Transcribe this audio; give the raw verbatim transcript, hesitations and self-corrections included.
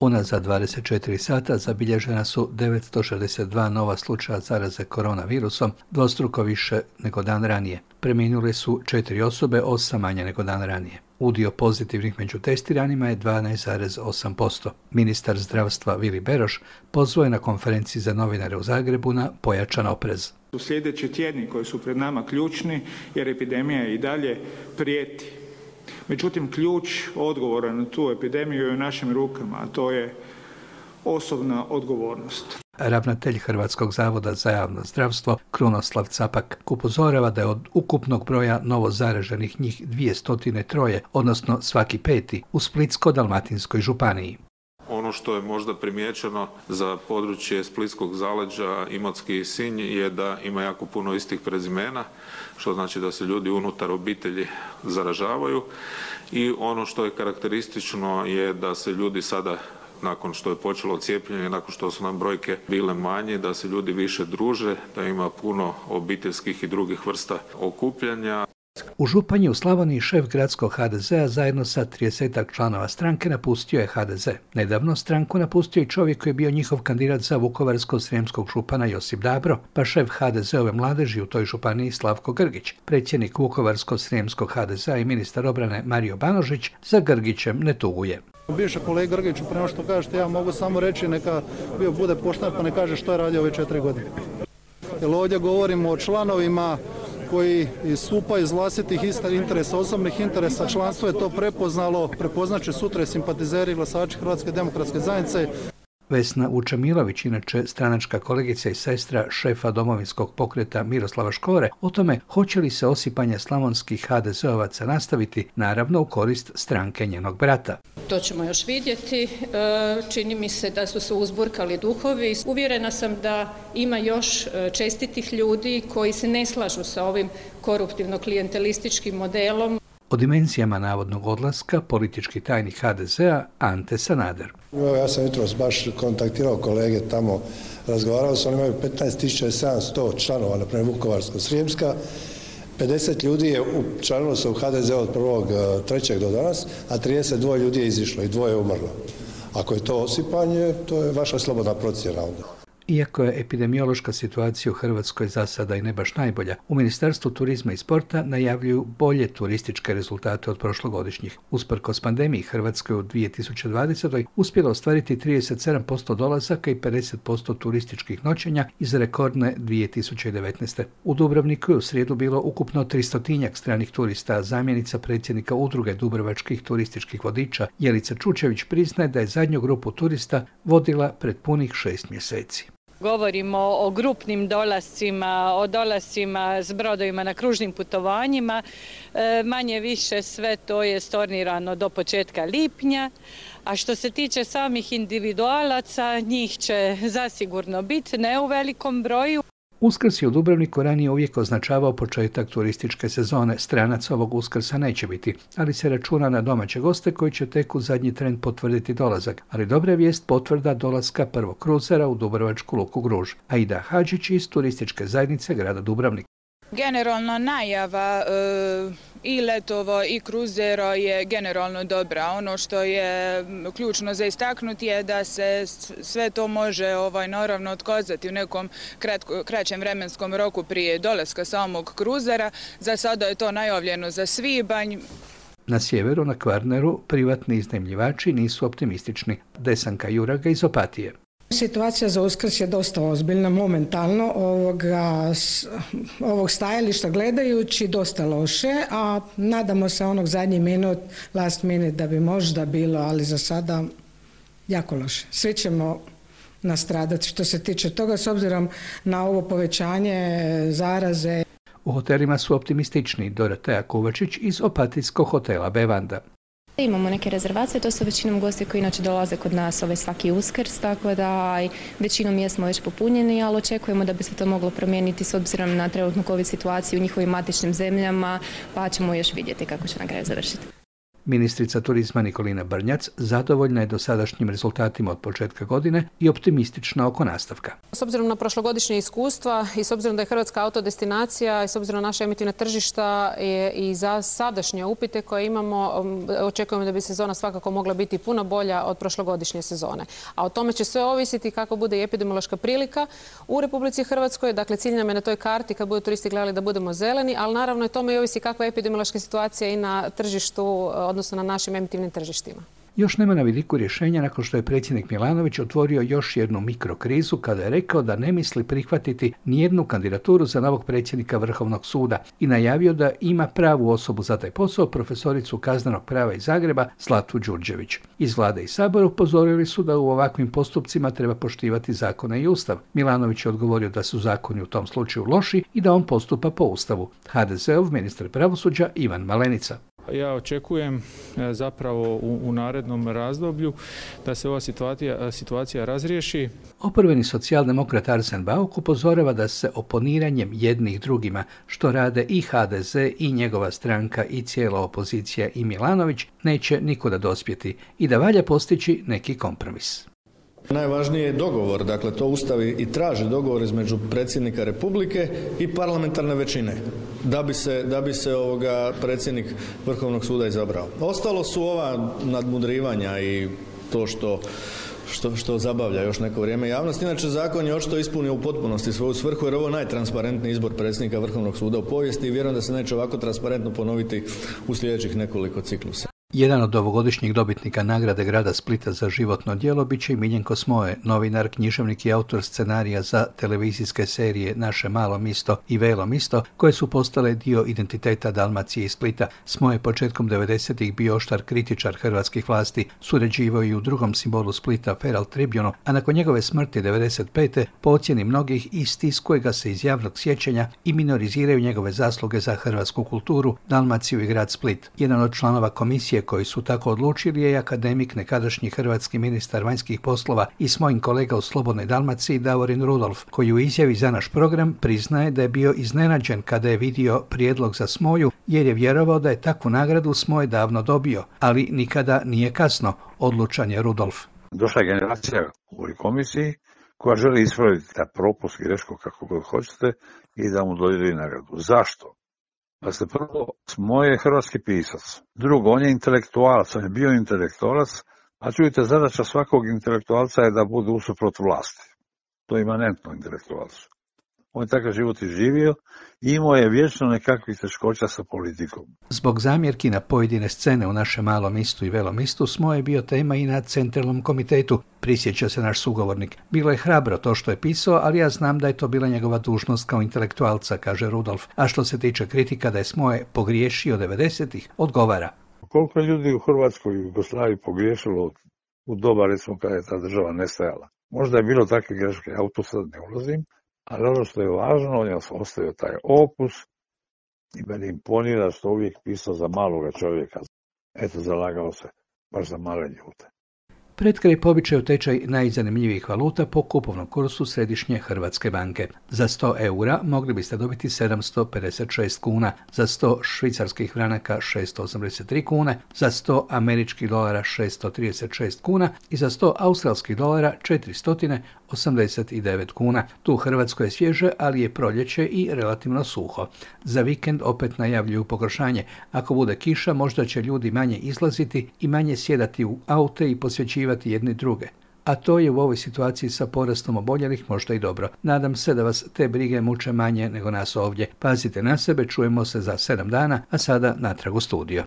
Unazad dvadeset četiri sata zabilježena su devetsto šezdeset dva nova slučaja zaraze koronavirusom, dvostruko više nego dan ranije. Preminule su četiri osobe, osam manje nego dan ranije. Udio pozitivnih među testiranima je dvanaest zarez osam posto. Ministar zdravstva Vili Beroš pozvao je na konferenciji za novinare u Zagrebu na pojačan oprez. U sljedeći tjedni koji su pred nama ključni jer epidemija i dalje prijeti. Međutim, ključ odgovora na tu epidemiju je u našim rukama, a to je osobna odgovornost. Ravnatelj Hrvatskog zavoda za javno zdravstvo Krunoslav Capak upozorava da je od ukupnog broja novo zaraženih njih dvjesto tri, odnosno svaki peti, u Splitsko-dalmatinskoj županiji. Ono što je možda primijećeno za područje Splitskog zaleđa, Imotski i Sinj je da ima jako puno istih prezimena, što znači da se ljudi unutar obitelji zaražavaju i ono što je karakteristično je da se ljudi sada, nakon što je počelo cijepljenje, nakon što su nam brojke bile manje, da se ljudi više druže, da ima puno obiteljskih i drugih vrsta okupljanja. U Županji u Slavoniji šef gradskog ha de zea zajedno sa tridesetak članova stranke napustio je ha de ze. Nedavno stranku napustio i čovjek koji je bio njihov kandidat za Vukovarsko-srijemskog župana Josip Dabro, pa šef ha de zeove mladeži u toj županiji Slavko Grgić. Predsjednik Vukovarsko-srijemskog ha de zea i ministar obrane Mario Banožić za Grgićem ne tuguje. Bivši kolega Grgiću, prema što kažete, ja mogu samo reći neka bio bude pošten pa ne kaže što je radio ove četiri godine. Jer ovdje govorimo o članovima koji istupaju iz vlastitih interesa, osobnih interesa. Članstvo je to prepoznalo, prepoznaće sutra simpatizeri i glasači Hrvatske demokratske zajednice. Vesna Vučemilović, inače stranačka kolegica i sestra šefa domovinskog pokreta Miroslava Škore, o tome hoće li se osipanje slavonskih ha de zeovaca nastaviti, naravno u korist stranke njenog brata. To ćemo još vidjeti. Čini mi se da su se uzburkali duhovi. Uvjerena sam da ima još čestitih ljudi koji se ne slažu sa ovim koruptivno-klijentelističkim modelom. O dimenzijama navodnog odlaska politički tajnik ha de zea Ante Sanader. Ja sam jutros baš kontaktirao kolege tamo, razgovarao sam, oni imaju petnaest tisuća sedamsto članova, na primjer Vukovarsko-srijemska, pedeset ljudi je učlanilo se u ha de ze od prvog trećeg do danas, a trideset dva ljudi je izišlo i dvoje je umrlo. Ako je to osipanje, to je vaša slobodna procjena onda. Iako je epidemiološka situacija u Hrvatskoj za sada i ne baš najbolja, u Ministarstvu turizma i sporta najavljuju bolje turističke rezultate od prošlogodišnjih. Usprkos pandemiji, Hrvatskoj u dvije tisuće dvadesetoj uspjela ostvariti trideset sedam posto dolazaka i pedeset posto turističkih noćenja iz rekordne dvije tisuće devetnaeste. U Dubrovniku je u srijedu bilo ukupno tristotinjak stranih turista. Zamjenica predsjednika udruge dubrovačkih turističkih vodiča Jelica Čučević priznaje da je zadnju grupu turista vodila pred punih šest mjeseci. Govorimo o grupnim dolascima, o dolascima s brodovima na kružnim putovanjima. E, manje više sve to je stornirano do početka lipnja. A što se tiče samih individualaca, njih će zasigurno biti, ne u velikom broju. Uskrs je u Dubrovniku ranije uvijek označavao početak turističke sezone. Stranaca ovog Uskrsa neće biti, ali se računa na domaće goste koji će tek u zadnji tren potvrditi dolazak. Ali dobra je vijest potvrda dolaska prvog kruzera u dubrovačku luku Gruž. Aida Hadžić iz turističke zajednice grada Dubrovnik. Generalno najava e, i letova i kruzera je generalno dobra. Ono što je ključno za istaknuti je da se sve to može ovaj, naravno otkazati u nekom kratko, kraćem vremenskom roku prije dolaska samog kruzera. Za sada je to najavljeno za svibanj. Na sjeveru, na Kvarneru, privatni iznajmljivači nisu optimistični. Desanka Juraga iz Opatije. Situacija za Uskrs je dosta ozbiljna momentalno, ovoga, s ovog stajališta gledajući dosta loše, a nadamo se onog zadnji minut, last minute da bi možda bilo, ali za sada jako loše. Svi ćemo nastradati što se tiče toga s obzirom na ovo povećanje zaraze. U hotelima su optimistični. Doroteja Kovačić iz opatijskog hotela Bevanda. Imamo neke rezervacije, to su većinom gosti koji inače dolaze kod nas ovaj svaki Uskrs, tako da većinom jesmo već popunjeni, ali očekujemo da bi se to moglo promijeniti s obzirom na trenutnu COVID situaciju u njihovim matičnim zemljama, pa ćemo još vidjeti kako će na kraju završiti. Ministrica turizma Nikolina Brnjac zadovoljna je dosadašnjim rezultatima od početka godine i optimistična oko nastavka. S obzirom na prošlogodišnje iskustva i s obzirom da je Hrvatska autodestinacija i s obzirom na naše emitivna tržišta i za sadašnje upite koje imamo, očekujemo da bi sezona svakako mogla biti puno bolja od prošlogodišnje sezone. A o tome će sve ovisiti kako bude i epidemiološka prilika u Republici Hrvatskoj. Dakle, cilj nam je na toj karti kad budu turisti gledali da budemo zeleni, ali naravno i tome i ovisi kakva je epidemiološka situacija i na tržištu, odnosno na našim emitivnim tržištima. Još nema na vidiku rješenja nakon što je predsjednik Milanović otvorio još jednu mikrokrizu kada je rekao da ne misli prihvatiti nijednu kandidaturu za novog predsjednika Vrhovnog suda i najavio da ima pravu osobu za taj posao, profesoricu kaznenog prava iz Zagreba Zlatu Đurđević. Iz vlade i sabora upozorili su da u ovakvim postupcima treba poštivati zakone i ustav. Milanović je odgovorio da su zakoni u tom slučaju loši i da on postupa po ustavu. ha de zeov ministar pravosuđa Ivan Malenica. Ja očekujem zapravo u, u narednom razdoblju da se ova situacija, situacija razriješi. Oporbeni socijaldemokrat Arsen Bauk upozorava da se oponiranjem jednih drugima, što rade i ha de ze i njegova stranka i cijela opozicija i Milanović, neće nikuda dospjeti i da valja postići neki kompromis. Najvažniji je dogovor, dakle to Ustav i traži dogovor između predsjednika Republike i parlamentarne većine da bi se, da bi se ovoga predsjednik Vrhovnog suda izabrao. Ostalo su ova nadmudrivanja i to što Što, što zabavlja još neko vrijeme javnost. Inače, zakon je očito ispunio u potpunosti svoju svrhu jer ovo je najtransparentniji izbor predsjednika Vrhovnog suda u povijesti i vjerujem da se neće ovako transparentno ponoviti u sljedećih nekoliko ciklusa. Jedan od ovogodišnjih dobitnika nagrade grada Splita za životno djelo bit će i Miljenko Smoje, novinar, književnik i autor scenarija za televizijske serije Naše malo misto i Velo misto, koje su postale dio identiteta Dalmacije i Splita. Smoje početkom devedesetih bio oštar kritičar hrvatskih vlasti, surađivao i u drugom simbolu Splita Herald Tribune, a nakon njegove smrti devedeset pete po ocjeni mnogih istiskuje ga se iz javnog sjećanja i minoriziraju njegove zasluge za hrvatsku kulturu, Dalmaciju i grad Split. Jedan od članova komisije koji su tako odlučili je akademik, nekadašnji hrvatski ministar vanjskih poslova i s mojim kolega u Slobodnoj Dalmaciji Davorin Rudolf, koji u izjavi za naš program priznaje da je bio iznenađen kada je vidio prijedlog za Smoju, jer je vjerovao da je takvu nagradu Smoj davno dobio, ali nikada nije kasno, odlučan je Rudolf. Došla je generacija u ovoj komisiji koja želi ispraviti ta propust, grešku, kako god hoćete, i da mu dodijeli nagradu. Zašto? Pa ste prvo, Smoj je hrvatski pisac. Drugo, on je intelektualac, on je bio intelektualac, a čujte, zadaća svakog intelektualca je da bude usuprot vlasti. To je imanentno intelektualcu. On je takav život i živio i imao je vječno nekakvih teškoća sa politikom. Zbog zamjerki na pojedine scene u Našem malom mistu i Velom mistu, Smoj je bio tema i na centralnom komitetu, prisjeća se naš sugovornik. Bilo je hrabro to što je pisao, ali ja znam da je to bila njegova dužnost kao intelektualca, kaže Rudolf. A što se tiče kritika da je Smoj pogriješio devedesetih, odgovara. Koliko ljudi u Hrvatskoj i Jugoslaviji pogriješilo u doba, recimo, kada je ta država nestajala? Možda je bilo takve greške, ja u to sad ne ulazim, ali ono što je važno, on je ostavio taj opus i meni imponira što uvijek pisao za maloga čovjeka. Eto, zalagao se baš za male ljude. Pred kraj po običaju tečaj najzanimljivijih valuta po kupovnom kursu Središnje Hrvatske banke. Za sto eura mogli biste dobiti sedamsto pedeset šest kuna, za sto švicarskih franaka šesto osamdeset tri kune, za sto američkih dolara šesto trideset šest kuna i za sto australskih dolara četiristo osamdeset devet kuna. Tu u Hrvatskoj je svježe, ali je proljeće i relativno suho. Za vikend opet najavljuju pogoršanje. Ako bude kiša, možda će ljudi manje izlaziti i manje sjedati u aute i posvećivati jedni druge. A to je u ovoj situaciji sa porastom oboljelih možda i dobro. Nadam se da vas te brige muče manje nego nas ovdje. Pazite na sebe, čujemo se za sedam dana, a sada natrag u studio.